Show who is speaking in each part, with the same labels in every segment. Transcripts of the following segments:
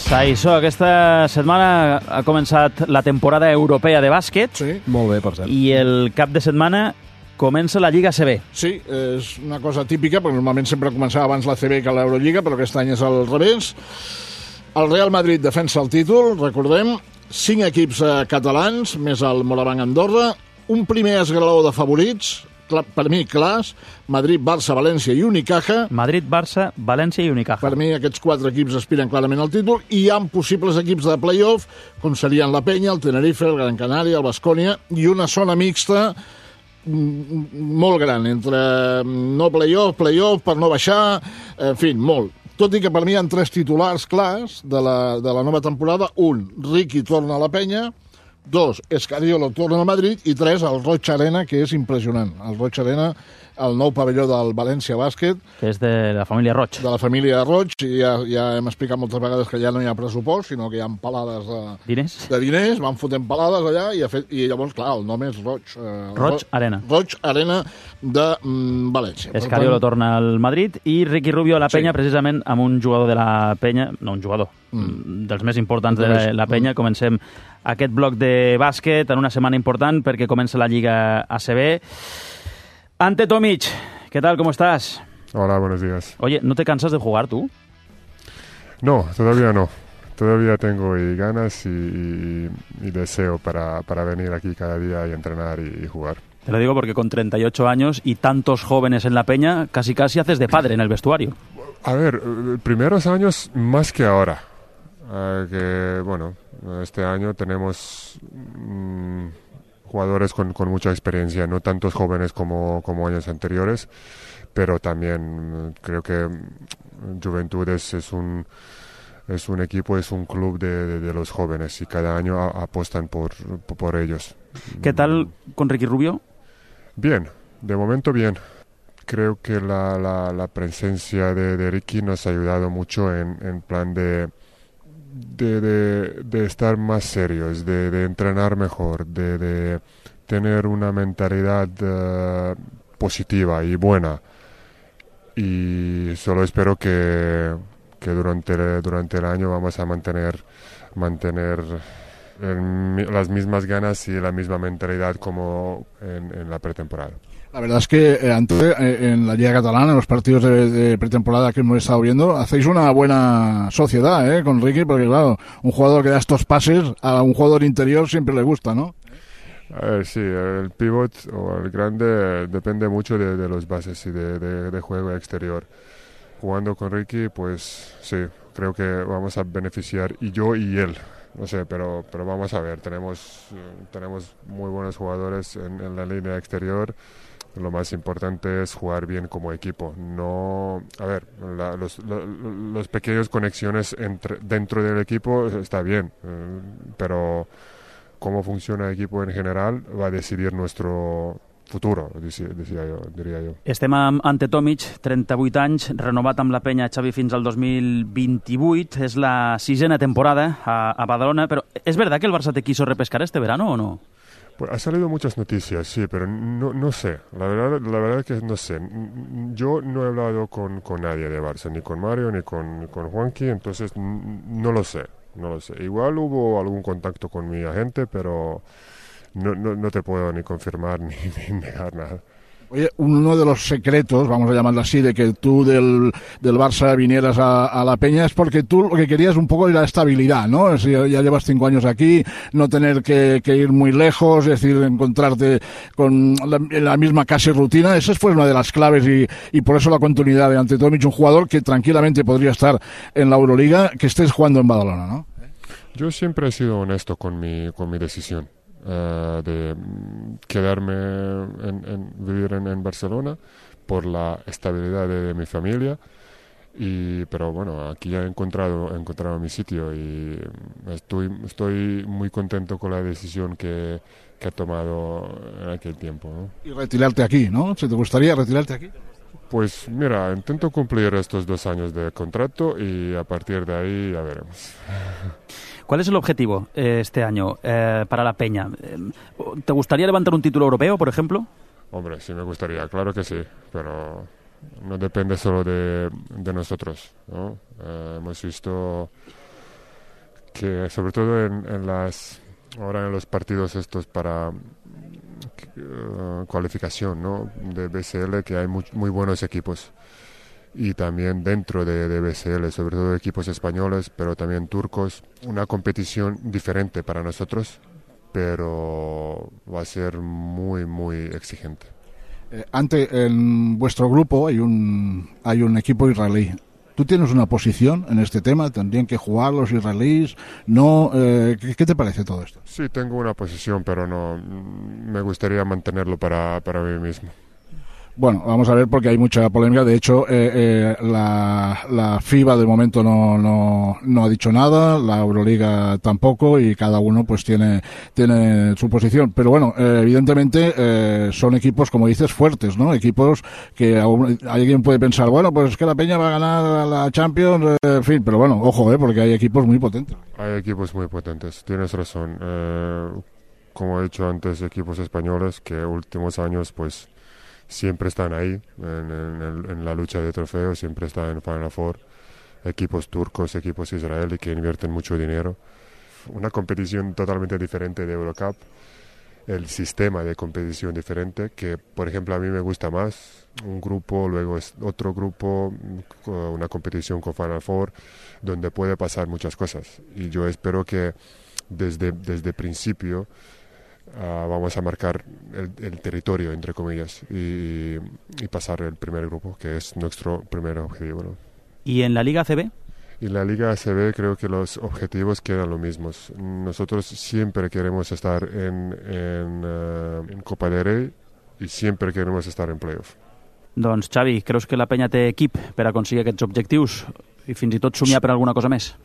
Speaker 1: Això, aquesta setmana ha començat la temporada europea de bàsquet.
Speaker 2: Sí.
Speaker 3: Molt bé, per cert.
Speaker 1: I el cap de setmana comença la Lliga ACB.
Speaker 2: Sí, és una cosa típica, perquè normalment sempre començava abans la CB que l'Eurolliga, però aquest any és al revés. El Real Madrid defensa el títol, recordem, 5 equips catalans, més el Morabanc Andorra, un primer esglaó de favorits, per mi clars, Madrid, Barça, València i Unicaja.
Speaker 1: Madrid, Barça, València i Unicaja.
Speaker 2: Per mi aquests 4 equips aspiren clarament al títol i hi ha possibles equips de play-off, com serien la Penya, el Tenerife, el Gran Canària, el Baskonia, i una zona mixta molt gran, entre no play-off, per no baixar, en fi, molt. Tot i que per mi hi ha 3 titulars clars de la nova temporada. 1, Ricky torna a la Penya. 2, Escariolo torna a Madrid. I 3, el Roig Arena, que és impressionant. El Roig Arena, el nou pavelló del València Bàsquet.
Speaker 1: Que és de la família Roig.
Speaker 2: De la família Roig. I ja hem explicat moltes vegades que ja no hi ha pressupost, sinó que hi ha palades de diners. Van fotent palades allà i llavors, clar, el nom és Roig.
Speaker 1: Roig Arena.
Speaker 2: Roig Arena de València.
Speaker 1: Escariolo torna al Madrid i Ricky Rubio a la Penya, precisament amb un jugador de la Penya, no un jugador, dels més importants de la Penya. Comencem aquest bloc de bàsquet en una setmana important perquè comença la Lliga ACB. Ante Tomic, ¿qué tal? ¿Cómo estás?
Speaker 4: Hola, buenos días.
Speaker 1: Oye, ¿no te cansas de jugar tú?
Speaker 4: No, todavía no. Todavía tengo ganas y deseo para venir aquí cada día y entrenar y jugar.
Speaker 1: Te lo digo porque con 38 años y tantos jóvenes en la Peña, casi haces de padre en el vestuario.
Speaker 4: A ver, primeros años más que ahora. Que, bueno, este año tenemos jugadores con mucha experiencia, no tantos jóvenes como años anteriores, pero también creo que Juventudes es un equipo, es un club de los jóvenes y cada año apuestan por ellos.
Speaker 1: ¿Qué tal con Ricky Rubio?
Speaker 4: Bien, de momento bien. Creo que la presencia de Ricky nos ha ayudado mucho en plan de estar más serios, de entrenar mejor, de tener una mentalidad positiva y buena. Y solo espero que durante el año vamos a mantener las mismas ganas y la misma mentalidad como en la pretemporada.
Speaker 2: La verdad es que en la Liga Catalana, en los partidos de pretemporada que hemos estado viendo, hacéis una buena sociedad con Ricky, porque claro, un jugador que da estos pases a un jugador interior siempre le gusta, ¿no?
Speaker 4: A ver, sí, el pivot o el grande depende mucho de los bases y de juego exterior. Jugando con Ricky, pues sí, creo que vamos a beneficiar, y yo y él. No sé, pero vamos a ver, tenemos muy buenos jugadores en la línea exterior. Lo más importante es jugar bien como equipo. No, a ver, los pequeñas conexiones dentro del equipo está bien, pero cómo funciona el equipo en general va a decidir nuestro futuro, diria jo.
Speaker 1: Estem amb Ante Tomic, 38 anys, renovat amb la Penya Xavi fins al 2028. És la 6ª temporada a Badalona, però ¿es verdad que el Barça te quiso repescar este verano o no?
Speaker 4: Pues ha salido muchas noticias, sí, pero no sé. La verdad que no sé. Yo no he hablado con nadie de Barça, ni con Mario, ni con Juanqui, entonces no lo sé. Igual hubo algún contacto con mi agente, pero no te puedo ni confirmar ni negar nada.
Speaker 2: Oye, uno de los secretos, vamos a llamarlo así, de que tú del Barça vinieras a la Peña es porque tú lo que querías un poco era la estabilidad, ¿no? Si ya llevas 5 años aquí, no tener que ir muy lejos, es decir, encontrarte con la misma casi rutina. Esa fue una de las claves y por eso la continuidad de Ante Tomic, un jugador que tranquilamente podría estar en la Euroliga, que estés jugando en Badalona, ¿no?
Speaker 4: Yo siempre he sido honesto con mi decisión. De quedarme vivir en Barcelona por la estabilidad de mi familia, pero bueno, aquí ya he encontrado mi sitio y estoy muy contento con la decisión que he tomado en aquel tiempo, ¿no?
Speaker 2: Y retirarte aquí, ¿no? ¿Se te gustaría retirarte aquí?
Speaker 4: Pues mira, intento cumplir estos 2 años de contrato y a partir de ahí ya veremos.
Speaker 1: ¿Cuál es el objetivo este año para la Peña? ¿Te gustaría levantar un título europeo, por ejemplo?
Speaker 4: Hombre, sí me gustaría, claro que sí, pero no depende solo de nosotros, ¿no? Hemos visto que sobre todo ahora en los partidos estos para cualificación, ¿no?, de BCL, que hay muy buenos equipos. Y también dentro de BCL, sobre todo equipos españoles, pero también turcos. Una competición diferente para nosotros, pero va a ser muy, muy exigente.
Speaker 3: En vuestro grupo hay un equipo israelí. ¿Tú tienes una posición en este tema? ¿Tendrían que jugar los israelíes? ¿No? ¿Qué te parece todo esto?
Speaker 4: Sí, tengo una posición, pero no me gustaría mantenerlo para mí mismo.
Speaker 3: Bueno, vamos a ver, porque hay mucha polémica. De hecho, la FIBA de momento no ha dicho nada, la Euroliga tampoco, y cada uno pues tiene su posición. Pero bueno, evidentemente son equipos, como dices, fuertes, ¿no? Equipos que alguien puede pensar, bueno, pues es que la Peña va a ganar la Champions, en fin, pero bueno, ojo, porque hay equipos muy potentes.
Speaker 4: Hay equipos muy potentes, tienes razón. Como he dicho antes, equipos españoles que últimos años pues siempre están ahí en la lucha de trofeos, siempre están en Final Four. Equipos turcos, equipos israelíes que invierten mucho dinero. Una competición totalmente diferente de Eurocup. El sistema de competición diferente, que por ejemplo a mí me gusta más. Un grupo, luego es otro grupo, una competición con Final Four, donde puede pasar muchas cosas. Y yo espero que desde principio vamos a marcar el territorio, entre comillas, y pasar el primer grupo, que es nuestro primer objetivo, ¿no?
Speaker 1: ¿Y en la Liga ACB?
Speaker 4: En la Liga ACB creo que los objetivos quedan los mismos. Nosotros siempre queremos estar en Copa del Rey y siempre queremos estar en playoff.
Speaker 1: Doncs, Xavi, creus que la Penya té equip per aconseguir aquests objectius i fins i tot somiar per alguna cosa més?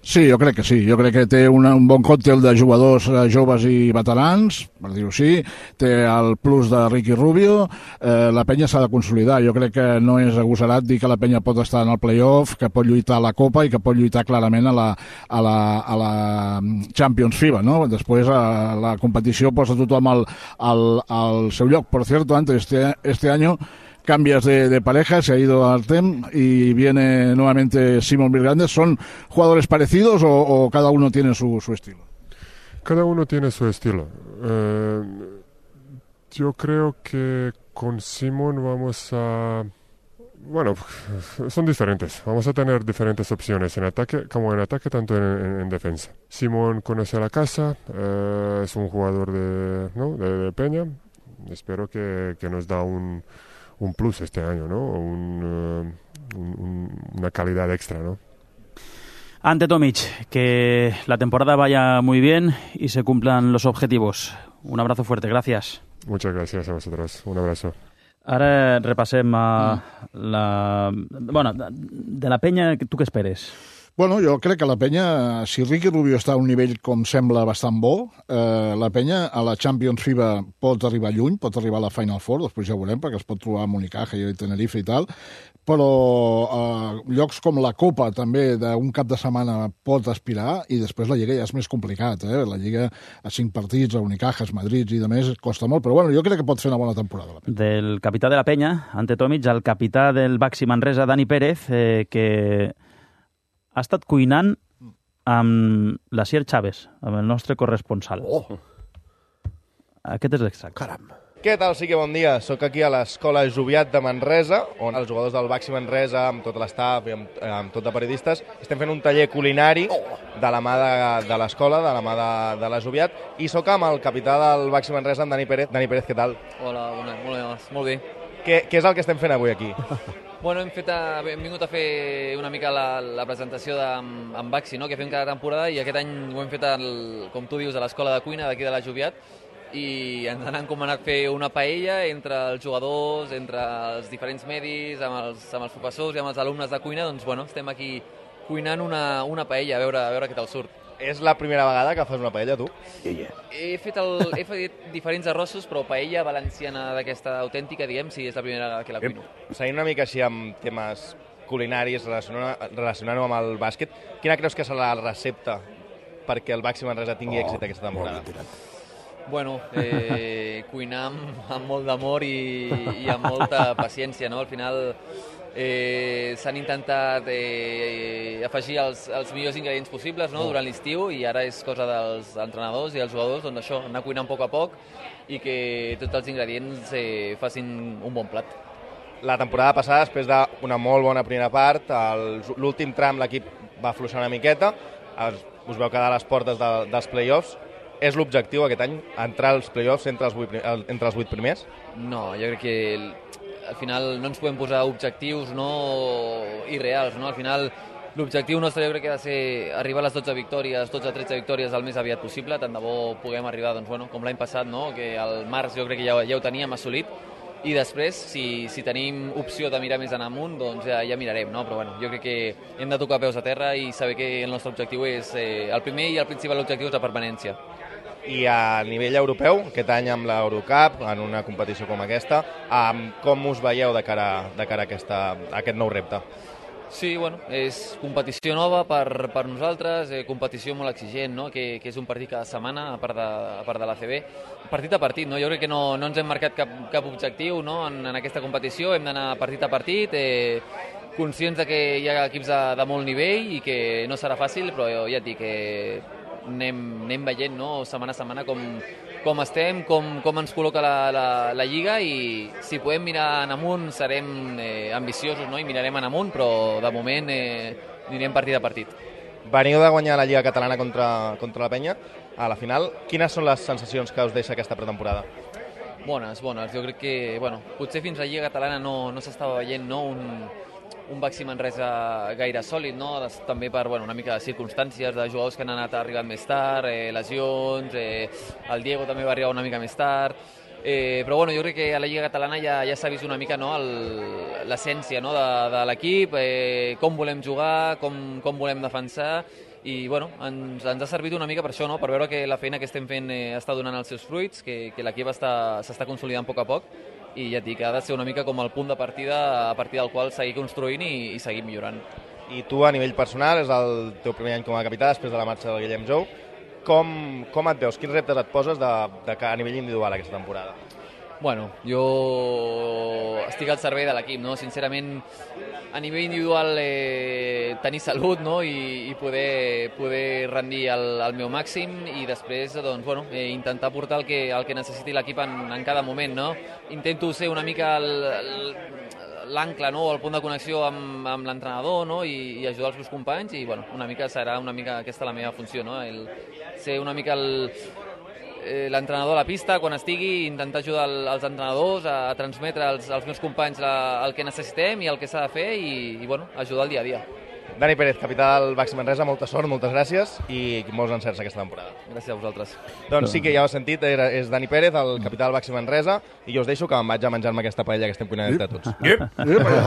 Speaker 3: Sí, jo crec que sí. Jo crec que té un bon còctel de jugadors joves i veterans, per dir-ho així. Té el plus de Ricky Rubio. La Penya s'ha de consolidar. Jo crec que no és agosarat dir que la Penya pot estar en el playoff, que pot lluitar a la Copa i que pot lluitar clarament a la Champions FIBA, ¿no? Després la competició posa tothom al seu lloc. Por cierto, antes este año cambias de pareja, se ha ido Artem y viene nuevamente Simon Virgandes. ¿Son jugadores parecidos o cada uno tiene su estilo?
Speaker 4: Cada uno tiene su estilo. Yo creo que con Simon vamos a... Bueno, son diferentes. Vamos a tener diferentes opciones en ataque, como en ataque, tanto en defensa. Simon conoce la casa, es un jugador de Peña. Espero que nos da un plus este año, ¿no? Una calidad extra, ¿no?
Speaker 1: Ante Tomic, que la temporada vaya muy bien y se cumplan los objetivos. Un abrazo fuerte, gracias.
Speaker 4: Muchas gracias a vosotros, un abrazo.
Speaker 1: Ara repassem Bueno, de la Penya, tu què esperes?
Speaker 3: Bueno, jo crec que la Penya, si Ricky Rubio està a un nivell com sembla bastant bo, la Penya a la Champions FIBA pot arribar lluny, pot arribar a la Final Four, després ja ho veurem, perquè es pot trobar amb Unicaja i Tenerife i tal, però llocs com la Copa també d'un cap de setmana pot aspirar, i després la Lliga ja és més complicat, la Lliga a 5 partits, a Unicajas, Madrid i de més, costa molt, però bueno, jo crec que pot fer una bona temporada.
Speaker 1: Del capità de la Penya, Ante Tomic, al capità del Baxi Manresa, Dani Pérez, que ha estat cuinant amb l'Asier Chávez, amb el nostre corresponsal.
Speaker 5: Oh!
Speaker 1: Aquest és l'extracte.
Speaker 5: Caram!
Speaker 6: Què tal? Sí que bon dia. Soc aquí a l'Escola Joviat de Manresa, on els jugadors del Baxi Manresa, amb tot l'estaf i amb tot de periodistes, estem fent un taller culinari de la mà de l'escola, de la mà de la Joviat, i soc amb el capità del Baxi Manresa, amb Dani Pérez. Dani Pérez, què tal?
Speaker 7: Hola, molt bé.
Speaker 6: Què és el que estem fent avui aquí?
Speaker 7: Bueno, hem vingut a fer una mica la presentació amb Baxi, no?, que fem cada temporada, i aquest any ho hem fet, com tu dius, a l'escola de cuina d'aquí de la Joviat, i ens han encomanat fer una paella entre els jugadors, entre els diferents medis, amb els professors i amb els alumnes de cuina. Doncs bueno, estem aquí cuinant una paella, a veure què tal surt.
Speaker 6: És la primera vegada que fas una paella, tu?
Speaker 7: He fet diferents arrossos, però paella valenciana d'aquesta autèntica, diguem, sí, és la primera vegada que la cuino.
Speaker 6: Seguint una mica així amb temes culinaris, relacionant-ho amb el bàsquet, quina creus que serà la recepta perquè el Baxi Manresa tingui èxit aquesta temporada?
Speaker 7: Bueno, cuinar amb molt d'amor i amb molta paciència, no? Al final s'han intentat afegir els millors ingredients possibles, no?, durant l'estiu, i ara és cosa dels entrenadors i els jugadors, doncs això, anar cuinant a poc i que tots els ingredients facin un bon plat.
Speaker 6: La temporada passada, després d'una molt bona primera part, l'últim tram l'equip va afluixar una miqueta, us veu quedar a les portes dels play-offs. És l'objectiu aquest any, entrar als play-offs entre els 8 primers?
Speaker 7: No, jo crec que al final no ens podem posar objectius irreals, no? Al final l'objectiu nostre jo crec que ha de ser arribar a les 12 victòries, 12-13 victòries el més aviat possible, tant de bo puguem arribar, doncs, bueno, com l'any passat, no?, que al març jo crec que ja ho teníem assolit, i després, si tenim opció de mirar més en amunt, doncs ja mirarem, no? Però bueno, jo crec que hem de tocar peus a terra i saber que el nostre objectiu és, el primer i el principal objectiu és la permanència.
Speaker 6: I a nivell europeu, aquest any amb l'Eurocup, en una competició com aquesta, com us veieu de cara a aquest nou repte?
Speaker 7: Sí, bueno, és competició nova per nosaltres, competició molt exigent, no?, que és un partit cada setmana, a part de l'ACB, partit a partit, no? Jo crec que no ens hem marcat cap objectiu, no?, en aquesta competició, hem d'anar partit a partit, conscients que hi ha equips de molt nivell i que no serà fàcil, però ja et dic que anem veient, no?, setmana a setmana com estem, com ens col·loca la Lliga, i si podem mirar en amunt serem ambiciosos, no?, i mirarem en amunt, però de moment anirem partit a partit.
Speaker 6: Veniu de guanyar la Lliga Catalana contra la Penya a la final. Quines són les sensacions que us deixa aquesta pretemporada?
Speaker 7: Bones. Jo crec que, potser fins a la Lliga Catalana no s'estava veient, no?, un Baxi Manresa gaire sòlid, no?, també per una mica de circumstàncies de jugadors que han anat arribant més tard, lesions, el Diego també va arribar una mica més tard, però jo crec que a la Lliga Catalana ja s'ha vist una mica, no?, l'essència, no?, de l'equip, com volem jugar, com volem defensar, i ens ha servit una mica per això, no?, per veure que la feina que estem fent està donant els seus fruits, que l'equip s'està consolidant a poc, i ja et dic que ha de ser una mica com el punt de partida a partir del qual seguir construint i seguir millorant.
Speaker 6: I tu, a nivell personal, és el teu primer any com a capità després de la marxa del Guillem Jou. Com et veus? Quins reptes et poses a nivell individual aquesta temporada?
Speaker 7: Jo estic al servei de l'equip, no? Sincerament, a nivell individual tenir salut, no?, i poder rendir al meu màxim, i després intentar portar el que necessiti l'equip en cada moment, no? Intento ser una mica l'ancle, no?, el punt de connexió amb l'entrenador, no?, i ajudar els meus companys, i una mica serà aquesta la meva funció, no?, ser una mica l'entrenador a la pista quan estigui, intentar ajudar els entrenadors a transmetre als meus companys el que necessitem i el que s'ha de fer, i ajudar el dia a dia.
Speaker 6: Dani Pérez, capità del Baxi Manresa, molta sort, moltes gràcies i molts encerts aquesta temporada.
Speaker 7: Gràcies a vosaltres.
Speaker 6: Doncs sí que ja ho heu sentit, és Dani Pérez, el capità del Baxi Manresa, i jo us deixo que me'n vaig a menjar-me aquesta paella que estem cuinant entre tots.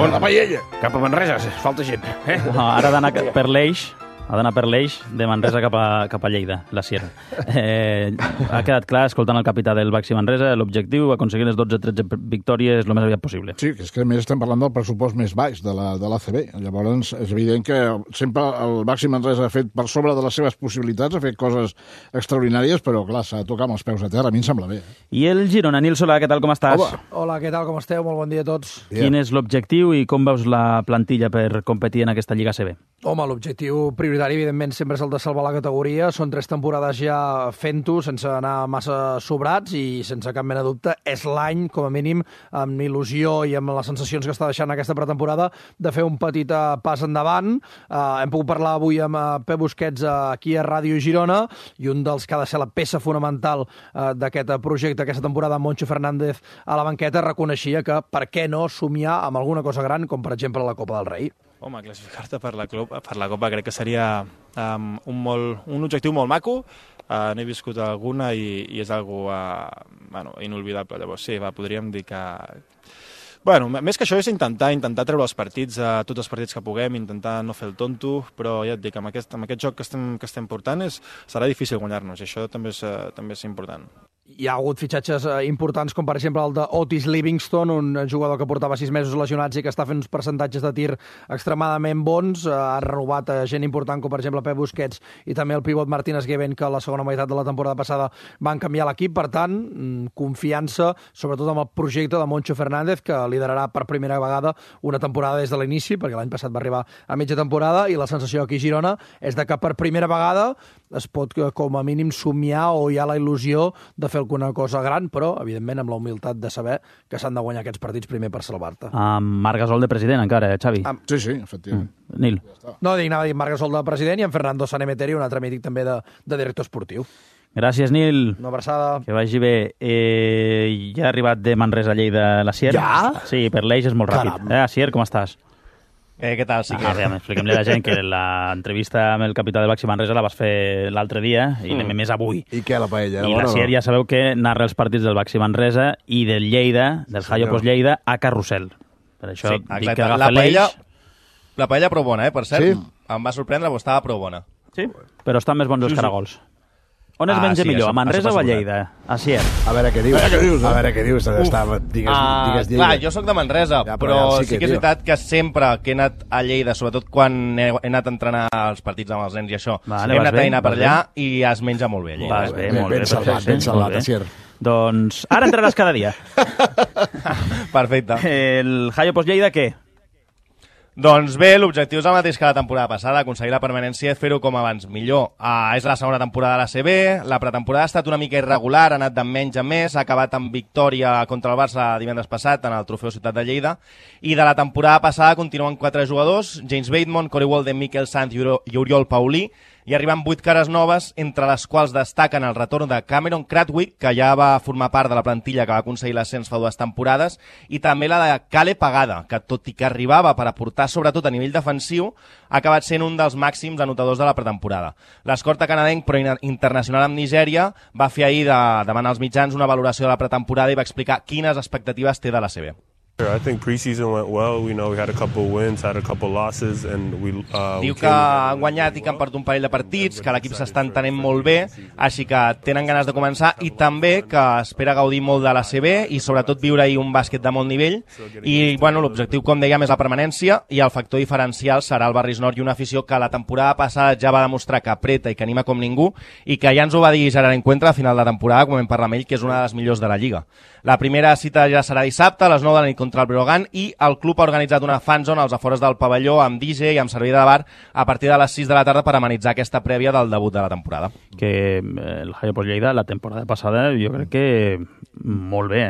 Speaker 5: On la paella? Cap a Manresa, falta gent.
Speaker 1: Ara ha d'anar per l'Eix, de Manresa cap a Lleida, la Sierra. Ha quedat clar, escoltant el capità del Baxi Manresa, l'objectiu, aconseguir les 12-13 victòries el més aviat possible.
Speaker 3: Sí, que és que a més estem parlant del pressupost més baix de l'ACB. Llavors, és evident que sempre el Baxi Manresa ha fet per sobre de les seves possibilitats, ha fet coses extraordinàries, però clar, s'ha de tocar amb els peus a terra, a mi em sembla bé.
Speaker 1: I el Girona, Nil Solà, què tal, com estàs?
Speaker 8: Hola, què tal, com esteu? Molt bon dia a tots.
Speaker 1: Quin és l'objectiu i com veus la plantilla per competir en aquesta Lliga ACB?
Speaker 8: Home, l'objectiu prioritari, evidentment, sempre és el de salvar la categoria. Són 3 temporades ja fent-ho, sense anar massa sobrats, i sense cap mena de dubte és l'any, com a mínim, amb il·lusió i amb les sensacions que està deixant aquesta pretemporada, de fer un petit pas endavant. Hem pogut parlar avui amb Pep Busquets aquí a Ràdio Girona, i un dels que ha de ser la peça fonamental d'aquest projecte, aquesta temporada, Moncho Fernández a la banqueta, reconeixia que per què no somiar amb alguna cosa gran, com per exemple la Copa del Rei.
Speaker 9: Home, classificar-te per la Copa crec que seria un objectiu molt maco. N'he viscut alguna i és algo inolvidable. Llavors, sí, podríem dir que... més que això és intentar treure els partits, tots els partits que puguem, intentar no fer el tonto, però ja et dic, amb aquest joc que estem portant serà difícil guanyar-nos, i això també és important.
Speaker 8: hi ha hagut fitxatges importants, com per exemple el d'Otis Livingston, un jugador que portava 6 mesos lesionats i que està fent uns percentatges de tir extremadament bons. Ha renovat gent important, com per exemple Pep Busquets i també el pivot Martínez Gueven, que a la segona meitat de la temporada passada van canviar l'equip. Per tant, confiança, sobretot amb el projecte de Moncho Fernández, que liderarà per primera vegada una temporada des de l'inici, perquè l'any passat va arribar a mitja temporada, i la sensació aquí a Girona és de que per primera vegada es pot, com a mínim, somiar o hi ha la il·lusió de fer alguna cosa gran, però, evidentment, amb la humilitat de saber que s'han de guanyar aquests partits primer per salvar-te.
Speaker 1: Amb Marc Gasol de president, encara, Xavi.
Speaker 2: Sí, efectivament.
Speaker 1: Nil.
Speaker 8: No, anava a dir Marc Gasol de president i en Fernando Sanemeteri, un altre mític també de director esportiu.
Speaker 1: Gràcies, Nil.
Speaker 8: Una abraçada.
Speaker 1: Que vagi bé. Ja ha arribat de Manresa a Lleida l'Asier.
Speaker 8: Ja?
Speaker 1: Sí, per l'Eix és molt ràpid. Asier, com estàs?
Speaker 6: Què tal? Sí que...
Speaker 1: Expliquem-li a la gent que l'entrevista amb el capità del Baxi Manresa la vas fer l'altre dia i anem més avui.
Speaker 10: I què, la paella?
Speaker 1: I l'Asier ja sabeu que narra els partits del Baxi Manresa i del Lleida, del Hayo Post Lleida, a Carrusel. Per això dic que agafa l'Eix.
Speaker 6: La paella prou bona, per cert. Em va sorprendre, però estava prou bona.
Speaker 1: Sí? Però estan més bons els caragols. On es menja millor, a Manresa o a Lleida? Asier.
Speaker 10: A veure què dius. A veure què dius. Digues
Speaker 6: Lleida. Clar, jo sóc de Manresa, però sí que és veritat que sempre que he anat a Lleida, sobretot quan he anat a entrenar els partits amb els nens i això, hem anat a dinar per allà i es menja molt bé a Lleida.
Speaker 1: Vas bé, molt bé.
Speaker 10: Ben salvat, Asier.
Speaker 1: Doncs ara entraràs cada dia.
Speaker 6: Perfecte.
Speaker 1: El Hayo Post Lleida, què?
Speaker 6: Doncs bé, l'objectiu és el mateix que la temporada passada, aconseguir la permanència i fer-ho com abans millor. És la segona temporada de l'ACB, la pretemporada ha estat una mica irregular, ha anat de menys a més, ha acabat amb victòria contra el Barça divendres passat en el Trofeu Ciutat de Lleida, i de la temporada passada continuen 4 jugadors, James Bateman, Corey Walden, Miquel Sanz i Oriol Paulí, i arriben 8 cares noves, entre les quals destaquen el retorn de Cameron Cradwick, que ja va formar part de la plantilla que va aconseguir l'ascens fa 2 temporades, i també la de Kale Pagada, que tot i que arribava per aportar sobretot a nivell defensiu, ha acabat sent un dels màxims anotadors de la pretemporada. L'escorta canadenc, però internacional amb Nigèria, va fer ahir davant els mitjans una valoració de la pretemporada i va explicar quines expectatives té de la CB.
Speaker 11: I think preseason went well. We had a couple wins, had a couple losses, and
Speaker 6: diu que han guanyat i que han perdut un parell de partits, que l'equip s'està entenent molt bé, així que tenen ganes de començar, i també que espera gaudir molt de la CB i sobretot viure-hi un bàsquet de molt nivell. I l'objectiu, com dèiem, és la permanència, i el factor diferencial serà el Barris Nord i una afició que la temporada passada ja va demostrar que apreta i que anima com ningú, i que ja ens ho va dir Gerard Encuentra a final de temporada, quan vam parlar amb ell, que és una de les millors de la Lliga. La primera cita ja serà dissabte a les 9 de la nit contra el Breogán, i el club ha organitzat una fanzone als afores del pavelló amb DJ i amb servei de bar a partir de les 6 de la tarda per amenitzar aquesta prèvia del debut de la temporada.
Speaker 1: Que el Hayo Post Lleida la temporada passada jo crec que molt bé,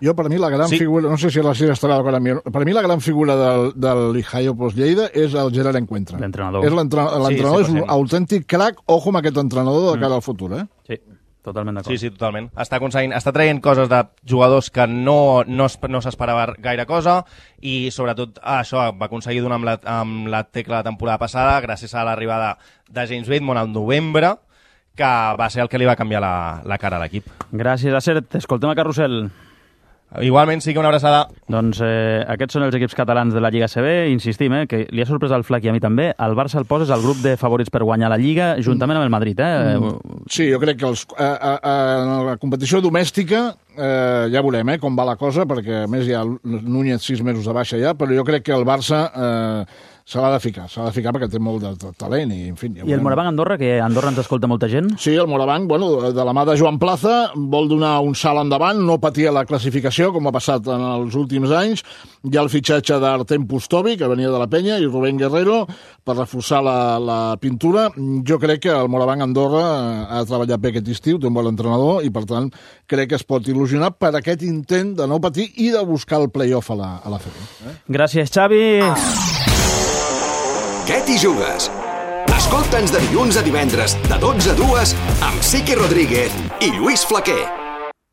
Speaker 2: Jo, per mi, la gran figura, no sé si la Sira estarà d'acord amb mi, per mi la gran figura del Hayo Post Lleida és el Gerard Encuentra.
Speaker 1: L'entrenador.
Speaker 2: L'entrenador és un autèntic crac, ojo amb aquest entrenador de cara al futur,
Speaker 1: Sí. Totalment d'acord.
Speaker 6: Sí, totalment. Està traient coses de jugadors que no s'esperava gaire cosa, i sobretot això va aconseguir donar amb la tecla la temporada passada gràcies a l'arribada de James Bateman al novembre, que va ser el que li va canviar la cara a l'equip.
Speaker 1: Gràcies, Acer. T'escoltem a Carrusel.
Speaker 6: Igualment, sí que una abraçada.
Speaker 1: Doncs aquests són els equips catalans de la Lliga CB. Insistim, que li ha sorprès al Flac i a mi també. El Barça el poses al grup de favorits per guanyar la Lliga, juntament amb el Madrid.
Speaker 2: Sí, jo crec que en la competició domèstica ja veurem com va la cosa, perquè a més hi ha Núñez 6 mesos de baixa ja, però jo crec que el Barça se l'ha de ficar perquè té molt de talent i, en fi... Ja
Speaker 1: I el Morabanc Andorra, que a Andorra ens escolta molta gent?
Speaker 2: Sí, el Morabanc, de la mà de Joan Plaza, vol donar un salt endavant, no patia la classificació, com ha passat en els últims anys. Hi ha el fitxatge d'Artem Pustovi, que venia de la Penya, i Rubén Guerrero, per reforçar la pintura. Jo crec que el Morabanc Andorra ha treballat bé aquest estiu, té un bon entrenador, i per tant crec que es pot il·lusionar per aquest intent de no patir i de buscar el play-off a la FEB.
Speaker 1: Gràcies, Xavi.
Speaker 12: Què t'hi jugues? Escolta'ns de dilluns a divendres, de 12 a 2, amb Siqui Rodríguez i Lluís Flaquer.